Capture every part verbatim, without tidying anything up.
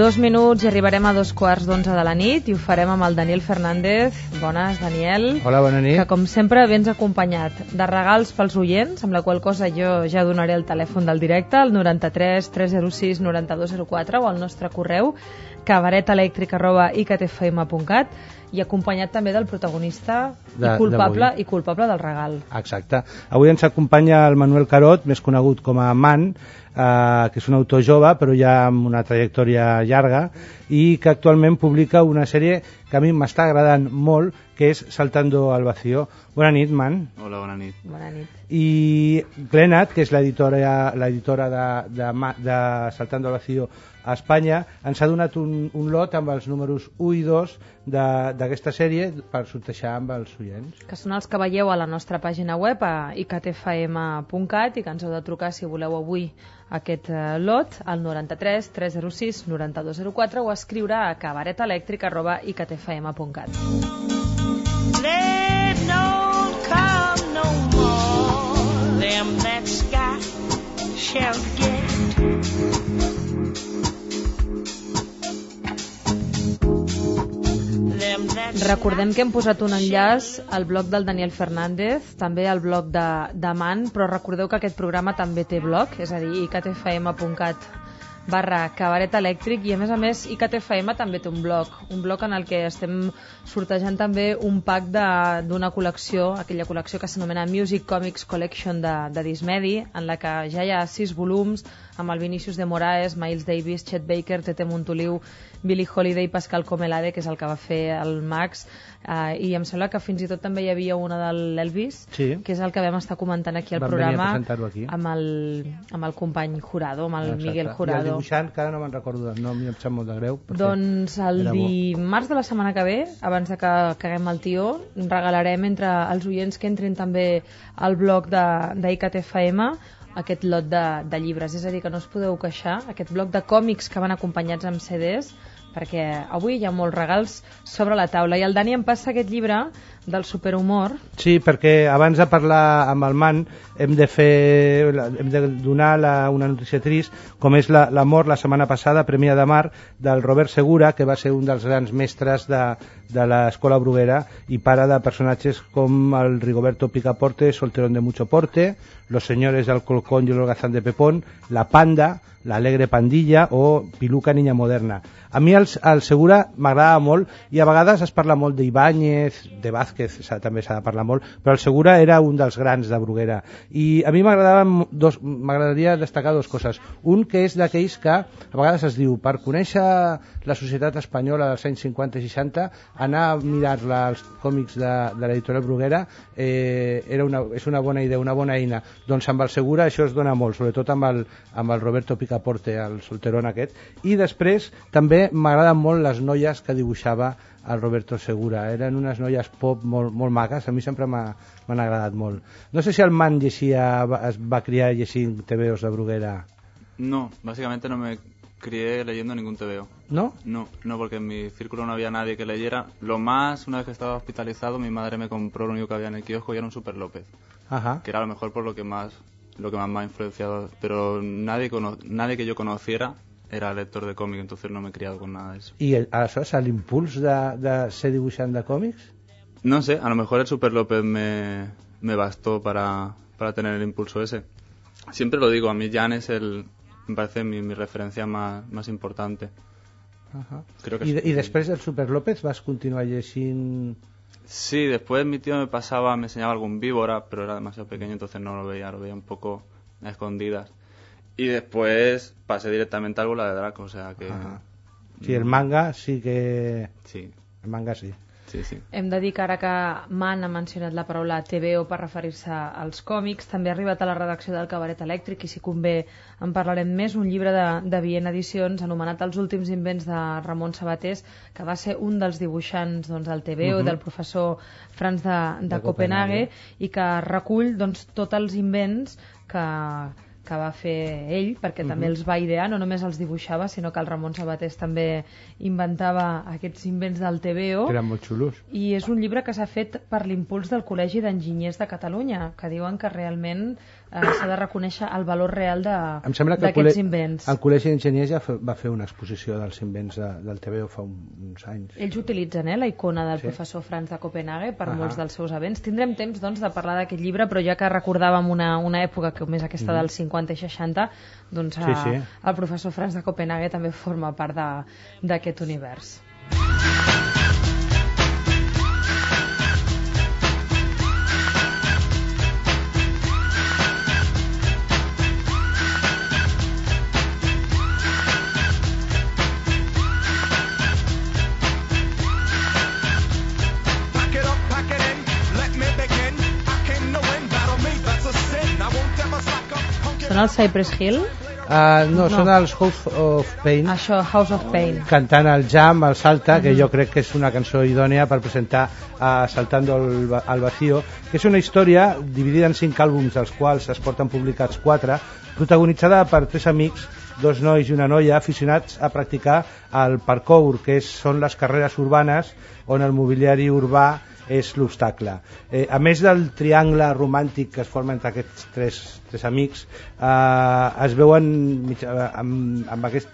dos minuts i arribarem a dos quarts d'onze de la nit i ho farem amb el Daniel Fernández. Bones, Daniel. Hola, bona nit. Que, com sempre, vens acompanyat de regals pels oients, amb la qual cosa jo ja donaré el telèfon del directe, el noranta-tres tres zero sis noranta dos zero quatre, o el nostre correu, cabaretelèctric arroba i c t f m punt cat, i acompanyat també del protagonista de, i, culpable, i culpable del regal. Exacte. Avui ens acompanya el Manuel Carot, més conegut com a Man, eh, que és un autor jove, però ja amb una trajectòria llarga, i que actualment publica una sèrie que a mi m'està agradant molt, que és Saltando al vacío. Bona nit, Man. Hola, bona nit. Bona nit. I Glenat, que és l'editora l'editora de, de, de Saltando al vacío a Espanya, ens ha donat un, un lot amb els números u i dos d'aquesta sèrie per sortejar amb els oients. Que són els que veieu a la nostra pàgina web, a i c t f m punt cat, i que ens heu de trucar si voleu avui aquest uh, lot al noranta-tres tres zero sis noranta dos zero quatre o escriure a cabaretelèctric arroba i c t f m punt cat. Let no come no more them that sky shall get. Recordem que hem posat un enllaç al blog del Daniel Fernández, també al blog de, de Man, però recordeu que aquest programa també té blog, és a dir, i c t f m punt cat barra cabaret elèctric, i a més a més I C T F M també té un blog, un blog en el que estem sortejant també un pack d'una col·lecció, aquella col·lecció que s'anomena Music Comics Collection de, de Dismedi, en la que ja hi ha sis volums amb el Vinícius de Moraes, Miles Davis, Chet Baker, Tete Montoliu, Billie Holiday, Pascal Comelade, que és el que va fer el Max, uh, i em sembla que fins i tot també hi havia una de l'Elvis, sí, que és el que vam estar comentant aquí al vam programa aquí. Amb, el, amb el company Jurado, amb el Exacte. Miguel Jurado. I el dibuixant, que ara no me'n recordo del nom, i em sap molt de greu. Doncs el dimarts de la setmana que ve, abans de que caguem el tió, regalarem entre els oients que entrin també al blog de, de I C T F M aquest lot de, de llibres, és a dir, que no us podeu queixar, aquest bloc de còmics que van acompanyats amb C Ds, perquè avui hi ha molts regals sobre la taula. I el Dani em passa aquest llibre del superhumor. Sí, perquè abans de parlar amb el Man hem de fer, hem de donar la, una notícia trist, com és la, la mort la setmana passada, Premià de Mar, del Robert Segura, que va ser un dels grans mestres de, de l'escola Bruguera i pare de personatges com el Rigoberto Picaporte, Solterón de mucho porte, Los señores del Colcón y el holgazán de Pepón, La Panda, La alegre pandilla o Piluca niña moderna. A mi el, el Segura m'agradava molt i a vegades es parla molt d'Ibáñez, de Vázquez també s'ha de parlar molt, però el Segura era un dels grans de Bruguera i a mi m'agradaria destacar dues coses. Un, que és d'aquells que a vegades es diu, per conèixer la societat espanyola dels anys cinquanta i seixanta, anar a mirar-la als còmics de, de l'editorial Bruguera eh, era una, és una bona idea, una bona eina. Doncs amb el Segura això es dona molt, sobretot amb el, amb el Roberto Picaporte, el solterón aquest. I després també m'agraden molt les noies que dibuixava el Roberto Segura, eren unes noies pop molt, molt maques, a mi sempre m'han agradat molt. No sé si el Man llegia, es va criar llegint T V Os de Bruguera. No, básicamente no me crié leyendo ningún T V O. ¿No? No, no, porque en mi círculo no había nadie que leyera. Lo más, una vez que estaba hospitalizado, mi madre me compró lo único que había en el kiosco y era un Super López. Ajá. Que era a lo mejor por lo que más, lo que más me ha influenciado, pero nadie, cono nadie que yo conociera era lector de còmic, entonces no me he criado con nada de eso. ¿Y el, aleshores l'impuls de, de ser dibuixant de còmics? No sé, a lo mejor el Super López me, me bastó para, para tener el impulso ese. Siempre lo digo, a mí Jan es el, me parece mi, mi referencia más, más importante. Ajá. Creo que I, sí. I després del Super López vas continuar llegint? Sí, después mi tío me pasaba, me enseñaba algún víbora, pero era demasiado pequeño, entonces no lo veía, lo veía un poco a escondidas. Y después pasé directamente al Bola de Draco, o sea que... Ajá. Sí, el manga sí que... Sí. El manga sí. Sí, sí. Hem de dir que ara que Man ha mencionat la paraula T V O per referir-se als còmics, també ha arribat a la redacció del Cabaret Elèctric, i si convé en parlarem més, un llibre de, de Viena Edicions anomenat Els últims invents de Ramon Sabatés, que va ser un dels dibuixants doncs, del T V O, uh-huh. del professor Franz de, de, de Copenhague, i que recull doncs, tots els invents que... que va fer ell, perquè uh-huh. també els va idear, no només els dibuixava, sinó que el Ramon Sabatés també inventava aquests invents del T V O. Que eren molt xulos. I és un llibre que s'ha fet per l'impuls del Col·legi d'Enginyers de Catalunya, que diuen que realment eh, s'ha de reconèixer el valor real d'aquests invents. El Col·legi d'Enginyers ja va fer una exposició dels invents de, del T V O fa uns anys. Ells utilitzen eh, la icona del sí. professor Franz de Copenhague per uh -huh. molts dels seus events. Tindrem temps doncs, de parlar d'aquest llibre, però ja que recordàvem una, una època com és aquesta mm. dels cinquanta i seixanta, doncs sí, sí. Eh, el professor Franz de Copenhague també forma part d'aquest univers. Són els Cypress Hill? Uh, no, no, són els House of Pain. Això, House of Pain. Cantant el Jam, el Salta, uh-huh. que jo crec que és una cançó idònia per presentar uh, Saltando el, el Vacío, que és una història dividida en cinc àlbums, dels quals es porten publicats quatre, protagonitzada per tres amics, dos nois i una noia, aficionats a practicar el parkour, que és, són les carreres urbanes on el mobiliari urbà és l'obstacle. Eh, a més del triangle romàntic que es forma entre aquests tres, tres amics, eh, es veuen amb, amb aquest,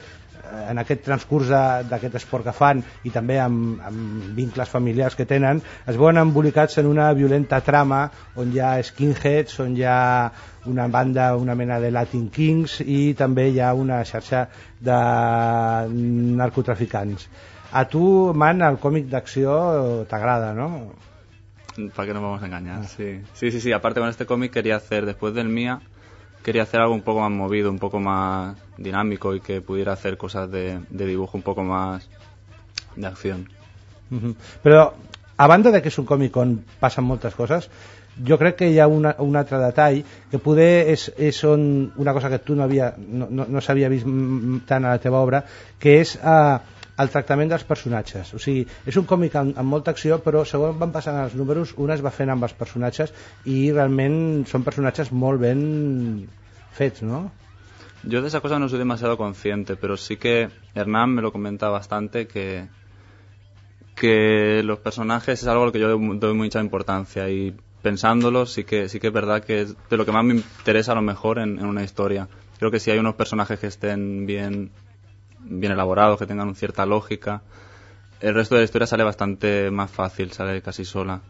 en aquest transcurs d'aquest esport que fan i també amb, amb vincles familiars que tenen, es veuen embolicats en una violenta trama on hi ha skinheads, on hi ha una banda, una mena de Latin Kings i també hi ha una xarxa de narcotraficants. A tu, Man, el còmic d'acció t'agrada, ¿no? ¿Para qué nos vamos a engañar? Ah. Sí. sí, sí, sí. Aparte con este cómic quería hacer, después del Mía, quería hacer algo un poco más movido, un poco más dinámico y que pudiera hacer cosas de, de dibujo un poco más de acción. Uh-huh. Però, a banda de que és un còmic on passen moltes coses, jo crec que hi ha una, un altre detall que poder és, és on, una cosa que tu no, havia, no, no, no s'havia vist tant a la teva obra, que és uh, el tractament dels personatges. O sigui, és un còmic amb, amb molta acció, però segons van passant els números, un es va fent amb els personatges i realment són personatges molt ben fets, ¿no? Yo de esa cosa no soy demasiado consciente, pero sí que Hernán me lo comenta bastante, que, que los personajes es algo a lo que yo doy mucha importancia, y pensándolo sí que, sí que es verdad que es de lo que más me interesa a lo mejor en, en una historia. Creo que si hay unos personajes que estén bien bien elaborados, que tengan cierta lógica, el resto de la historia sale bastante más fácil, sale casi sola.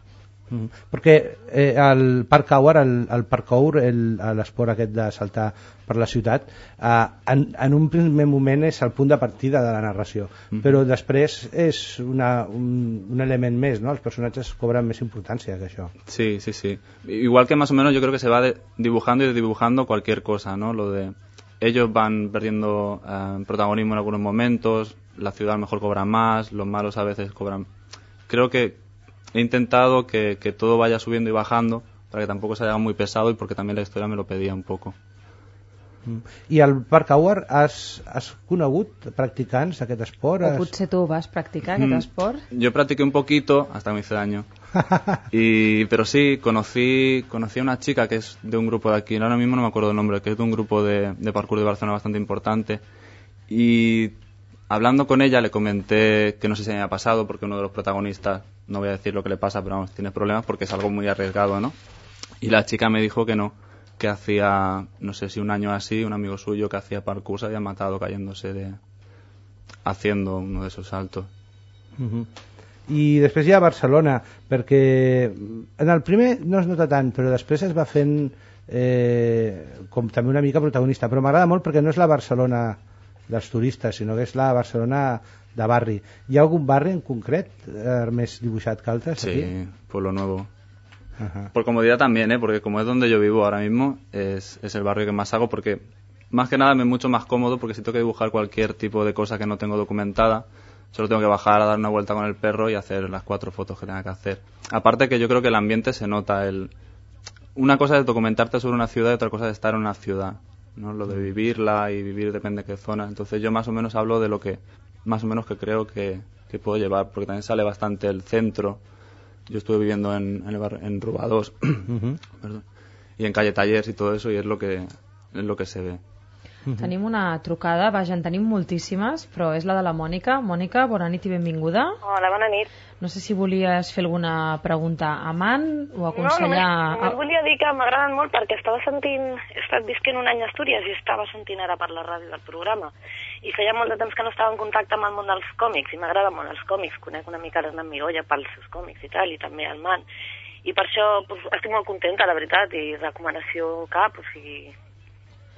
Mm. Perquè eh, el parkour, el, el parkour, l'esport aquest de saltar per la ciutat, eh, en, en un primer moment és el punt de partida de la narració, mm. però després és una, un, un element més, ¿no? Els personatges cobren més importància que això. Sí, sí, sí. Igual que más o menos yo creo que se va de, dibujando y dibujando cualquier cosa, ¿no? Lo de ellos van perdiendo eh, protagonismo en algunos momentos, la ciudad a lo mejor cobra más, los malos a veces cobran. Creo que he intentado que, que todo vaya subiendo y bajando para que tampoco se haga muy pesado y porque también la historia me lo pedía un poco. I al parkour has, has conegut practicants d'aquest esport? O potser tu vas practicar aquest mm, esport? Yo practiqué un poquito, hasta me hice daño. y, pero sí, conocí, conocí a una chica que es de un grupo de aquí, ahora mismo no me acuerdo el nombre, que es de un grupo de, de parkour de Barcelona bastante importante. Y hablando con ella le comenté que no sé si me había pasado, porque uno de los protagonistas, no voy a decir lo que le pasa, pero vamos, tiene problemas porque es algo muy arriesgado, ¿no? Y la chica me dijo que no, que hacía, no sé si un año así, un amigo suyo que hacía parkour se había matado cayéndose de haciendo uno de esos saltos. Uh-huh. I després hi ha Barcelona, perquè en el primer no es nota tant, però després es va fent eh, com també una mica protagonista, però m'agrada molt perquè no és la Barcelona dels turistes, sinó que és la Barcelona de barri. Hi ha algun barri en concret eh, més dibuixat que altres? Sí, aquí? Pueblo Nuevo. Ajá. Por comodidad también, ¿eh? Porque como es donde yo vivo ahora mismo, es, es el barrio que más hago, porque más que nada me es mucho más cómodo, porque si tengo que dibujar cualquier tipo de cosa que no tengo documentada, solo tengo que bajar a dar una vuelta con el perro y hacer las cuatro fotos que tenga que hacer. Aparte que yo creo que el ambiente se nota. El... Una cosa es documentarte sobre una ciudad y otra cosa es estar en una ciudad, ¿no? Lo de vivirla y vivir depende de qué zona. Entonces yo más o menos hablo de lo que más o menos que creo que, que puedo llevar, porque también sale bastante el centro. Yo estuve viviendo en, en, el bar, en Ruba dos uh-huh. Perdón, y en Calle Tallers y todo eso, y es lo que, es lo que se ve. Uh-huh. Tenim una trucada, vaja, en tenim moltíssimes, però és la de la Mònica. Mònica, bona nit i benvinguda. Hola, bona nit. No sé si volies fer alguna pregunta a Man o aconsellar... No, només, només volia dir que m'agraden molt perquè estava sentint... He estat visquent un any a Astúries i estava sentint ara per la ràdio del programa. I feia molt de temps que no estava en contacte amb el món dels còmics i m'agraden molt els còmics. Conec una mica l'Hernán Migoya pels seus còmics i tal, i també el Man. I per això pues, estic molt contenta, la veritat, i recomanació cap, o sigui,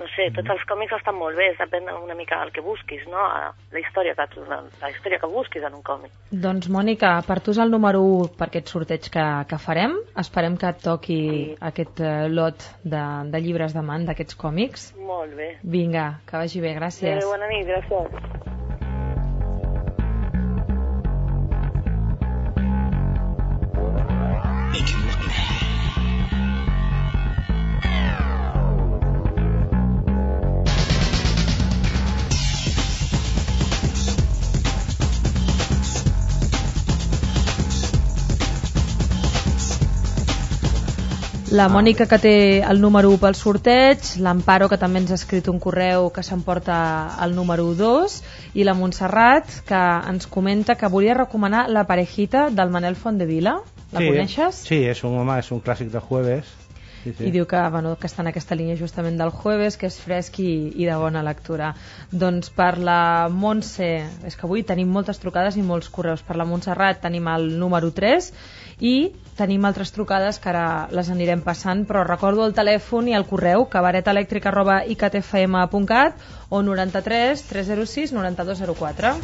no sé, tots els còmics estan molt bé, depèn una mica del que busquis, no? La història que, la, la història que busquis en un còmic. Doncs, Mònica, per tu és el número u per aquest sorteig que, que farem. Esperem que et toqui sí. aquest uh, lot de, de llibres de Man, d'aquests còmics. Molt bé. Vinga, que vagi bé, gràcies. Bé, bona nit, gràcies. La Mònica, que té el número u pel sorteig, l'Amparo, que també ens ha escrit un correu que s'emporta el número dos, i la Montserrat, que ens comenta que volia recomanar La parejita del Manel Fondevila. La sí, coneixes? Sí, és un, home, és un clàssic de jueves. Sí, sí. I diu que, bueno, que està en aquesta línia justament del jueves, que és fresc i, i de bona lectura. Doncs per la Montse, és que avui tenim moltes trucades i molts correus. Per la Montserrat tenim el número tres i tenim altres trucades que ara les anirem passant, però recordo el telèfon i el correu cabaretelèctric arroba i c t f m punt cat o noranta-tres tres zero sis noranta-dos zero quatre.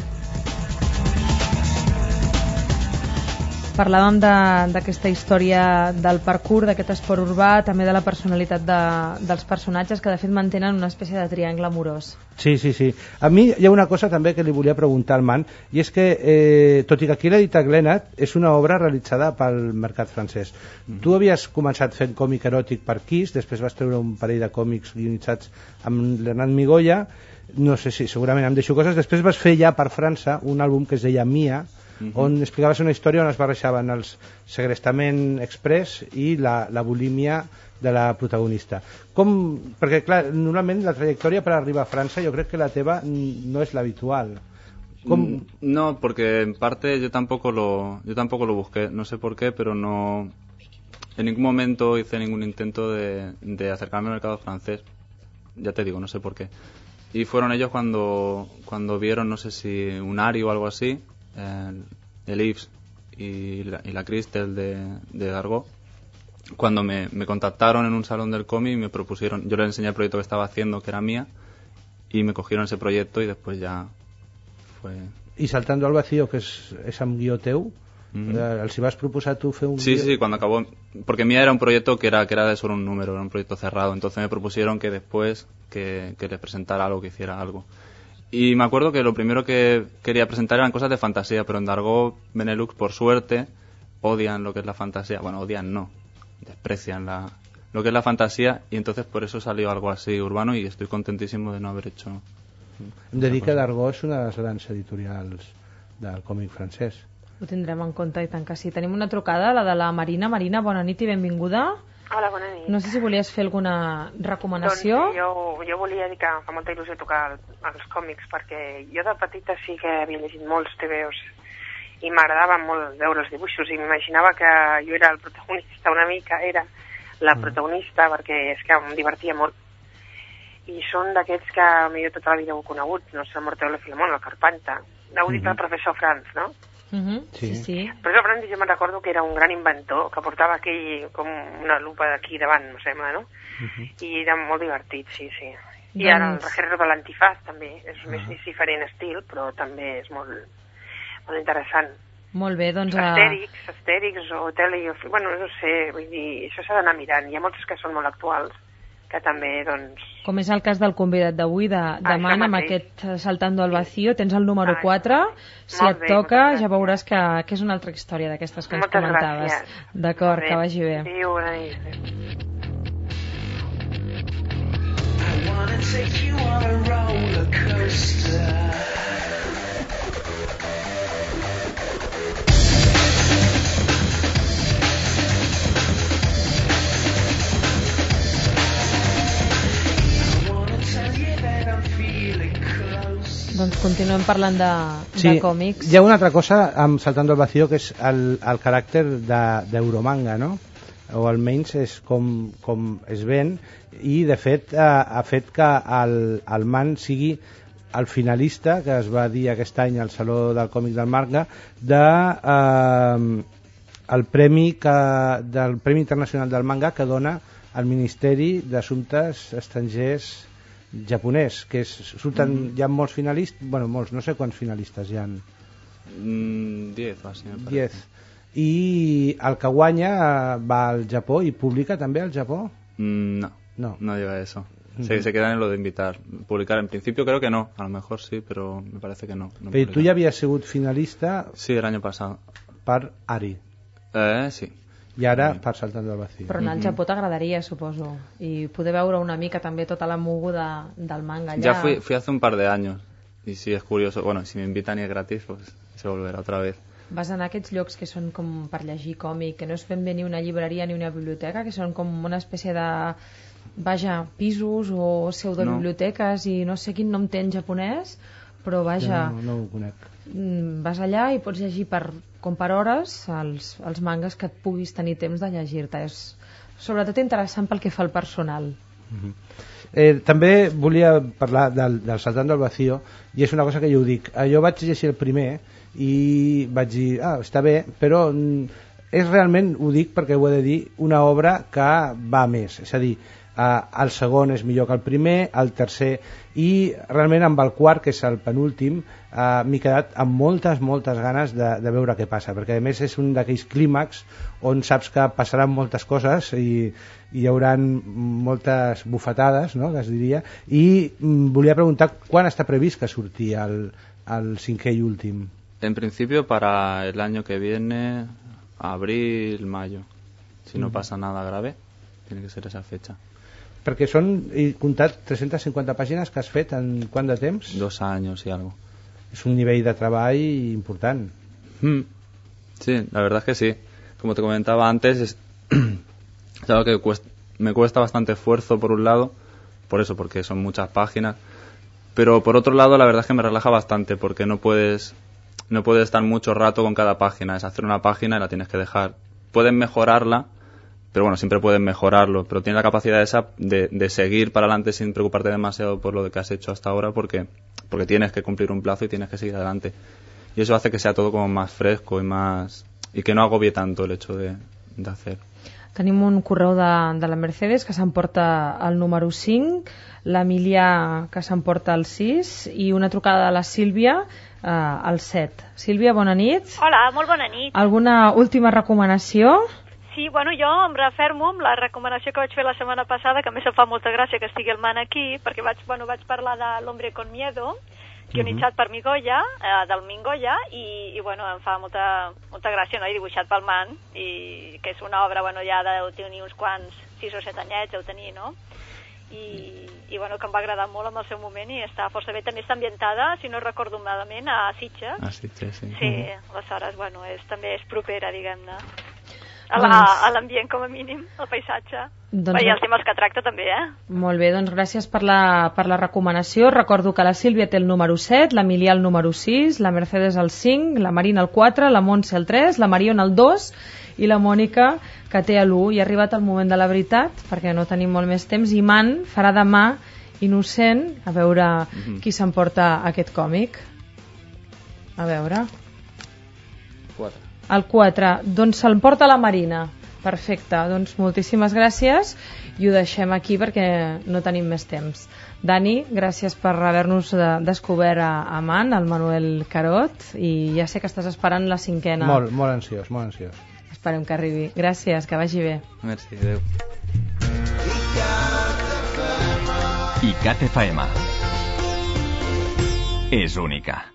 Parlàvem d'aquesta història del parkour, d'aquest esport urbà, també de la personalitat de, dels personatges, que de fet mantenen una espècie de triangle amorós. Sí, sí, sí. A mi hi ha una cosa també que li volia preguntar al Man, i és que, eh, tot i que aquí l'ha dit a Glenat, és una obra realitzada pel mercat francès. Mm. Tu havies començat fent còmic eròtic per Kiss, després vas treure un parell de còmics guionitzats amb l'Hernán Migoya, no sé si segurament em deixo coses, després vas fer ja per França un àlbum que es deia Mia, Uh-huh. on explicaves una història on es barrejaven els segrestament express i la, la bulímia de la protagonista. Com, perquè clar, normalment la trajectòria per arribar a França jo crec que la teva no es la habitual. ¿Cómo? No, porque en parte yo tampoco lo yo tampoco lo busqué, no sé por qué, pero no en ningún momento hice ningún intento de, de acercarme al mercado francés. Ya te digo, no sé por qué. Y fueron ellos cuando cuando vieron, no sé si un Ari o algo así, el, el Yves y la, y la Christel de, de Dargaud, cuando me, me contactaron en un salón del cómic y me propusieron, yo les enseñé el proyecto que estaba haciendo, que era Mía, y me cogieron ese proyecto y después ya fue... Y Saltando al vacío, que es, es amb guió teu, mm-hmm. els hi vas proposar tu fer un sí, guió... Sí, cuando acabó, porque Mía era un proyecto que era, que era de solo un número, era un proyecto cerrado, entonces me propusieron que después que, que les presentara algo, que hiciera algo. Y me acuerdo que lo primero que quería presentar eran cosas de fantasía, pero en Dargaud, Benelux, por suerte, odian lo que es la fantasía. Bueno, odian no, desprecian la, lo que es la fantasía, y entonces por eso salió algo así urbano, y estoy contentísimo de no haber hecho... Em de dir que Dargaud és una de les grans editorials del còmic francès. Ho tindrem en compte, i tant que sí. Tenim una trucada, la de la Marina. Marina, bona nit i benvinguda. Hola, bona nit. No sé si volies fer alguna recomanació. Doncs jo, jo volia dir que fa molta il·lusió tocar els còmics, perquè jo de petita sí que havia llegit molts tebeos i m'agradava molt veure els dibuixos i m'imaginava que jo era el protagonista, una mica era la protagonista, mm. perquè és que em divertia molt. I són d'aquests que millor tota la vida heu conegut, no sé, el Morteo le Filemón, el Carpanta. Heu dit mm-hmm. el professor Franz, no? Mm-hmm. Sí, sí. sí. Però el Franz jo me'n recordo que era un gran inventor, que portava aquell com una lupa d'aquí davant, no sembla, no? Mm-hmm. I era molt divertit, sí, sí. I doncs... ara el Rejerro de l'Antifaz també, és uh-huh. més diferent estil, però també és molt, molt interessant. Molt bé, doncs... Astèrix, Astèrix o Tele... Bueno, no sé, vull dir, això s'ha d'anar mirant. Hi ha moltes que són molt actuals, que també, doncs... Com és el cas del convidat d'avui, de, de ah, Man, amb aquest Saltando al vacío, tens el número ah, quatre, si et bé, toca ja veuràs que, que és una altra història d'aquestes que ens moltes comentaves. Gràcies. D'acord, que vagi bé. Adéu, bona nit. I wanna take you on a roller coaster. Doncs continuem parlant de, sí, de còmics. Hi ha una altra cosa amb Saltando al Vacío, que és el, el caràcter d'Euromanga, no? O almenys és com, com es ven, i de fet ha, ha fet que el, el Man sigui el finalista, que es va dir aquest any al Saló del Còmic del Manga, de, eh, el premi que, del Premi Internacional del Manga que dona el Ministeri d'Assumptes Estrangers japonès, que és, surten, mm. hi ha molts finalistes, bueno, molts, no sé quants finalistes hi ha. Mm, diez, o así, me parece. Diez. I el que guanya va al Japó i publica també al Japó? Mm, no, no, no llega a eso. Se, se quedan en lo de invitar. Publicar, en principio creo que no, a lo mejor sí, pero me parece que no. no Pero tú ya habías sido finalista... Sí, el año pasado. Per Ari. Eh, sí. I ara sí. Per Saltando al Vacío. Però anar al Japó t'agradaria, suposo, i poder veure una mica també tota la moguda del manga allà. Ya fui, fui hace un par de años, y sí, es curioso. Bueno, si me invitan y es gratis, pues se volverá otra vez. Vas anar a aquests llocs que són com per llegir còmic, que no és ben bé ni una llibreria ni una biblioteca, que són com una espècie de... vaja, pisos o pseudobiblioteques no. I no sé quin nom té en japonès, però vaja, no, no ho conec. Vas allà i pots llegir per, com per hores els, els mangas que et puguis tenir temps de llegir-te. És sobretot interessant pel que fa al personal. Mm-hmm. eh, també volia parlar del, del Saltando al Vacío, i és una cosa que jo ho dic. Jo vaig llegir el primer i vaig dir, ah, està bé, però és realment, ho dic perquè ho he de dir, una obra que va més, és a dir, Uh, el segon és millor que el primer, el tercer, i realment amb el quart, que és el penúltim, uh, m'he quedat amb moltes, moltes ganes de, de veure què passa, perquè a més és un d'aquells clímax on saps que passaran moltes coses i, i hi haurà moltes bufetades, no?, que es diria, i mm, volia preguntar quan està previst que surti el, el cinquè i últim. En principio para el año que viene, abril, mayo, si no mm. pasa nada grave, tiene que ser esa fecha. Perquè són, he comptat, tres-centes cinquanta pàgines que has fet en quant de temps? Dos años y algo. Es un nivel de treball important. Mm. Sí, la verdad es que sí. Como te comentaba antes, es, es algo que cuesta, me cuesta bastante esfuerzo por un lado, por eso, porque son muchas páginas, pero por otro lado la verdad es que me relaja bastante, porque no puedes, no puedes estar mucho rato con cada página. Es hacer una página y la tienes que dejar. Puedes mejorarla, pero bueno, siempre puedes mejorarlo, pero tienes la capacidad esa de, de seguir para adelante sin preocuparte demasiado por lo que has hecho hasta ahora, porque, porque tienes que cumplir un plazo y tienes que seguir adelante. Y eso hace que sea todo como más fresco y más y que no agobie tanto el hecho de, de hacer. Tenim un correu de, de la Mercedes que s'emporta el número cinc, l'Emilià que s'emporta el sis i una trucada de la Sílvia eh, al set. Sílvia, bona nit. Hola, molt bona nit. Alguna última recomanació? Sí, bueno, jo em refermo amb la recomanació que vaig fer la setmana passada, que a més em fa molta gràcia que estigui el Man aquí, perquè vaig, bueno, vaig parlar de L'Hombre con Miedo, guionitzat uh-huh. per Migoya, eh, del Mingoya, i, i bueno, em fa molta, molta gràcia, no?, i dibuixat pel Man, i que és una obra, bueno, ja deu tenir uns quants, sis o set anyets, deu tenir, no?, i, i bueno, que em va agradar molt en el seu moment i està força bé. També està ambientada, si no recordo malament, a Sitges. A Sitges, sí. Sí, aleshores, bueno, és, també és propera, diguem-ne, a la, a l'ambient com a mínim, al paisatge. Doncs... I els temes que tracta també, eh? Molt bé, doncs gràcies per la, per la recomanació. Recordo que la Sílvia té el número set, l'Emilià el número sis, la Mercedes el cinc, la Marina el quatre, la Montse el tres, la Mariona el dos i la Mònica que té l'u. I ha arribat el moment de la veritat, perquè no tenim molt més temps, i Man farà demà Innocent, a veure mm-hmm. qui s'emporta aquest còmic. A veure... quatre. El quatre, doncs se'l porta la Marina. Perfecte, doncs moltíssimes gràcies i ho deixem aquí perquè no tenim més temps. Dani, gràcies per haver-nos descobert a, a Man, el Manuel Carot, i ja sé que estàs esperant la cinquena. Molt, molt ansiós, molt ansiós. Esperem que arribi. Gràcies, que vagi bé. Merci, adeu. I C A T F M és única.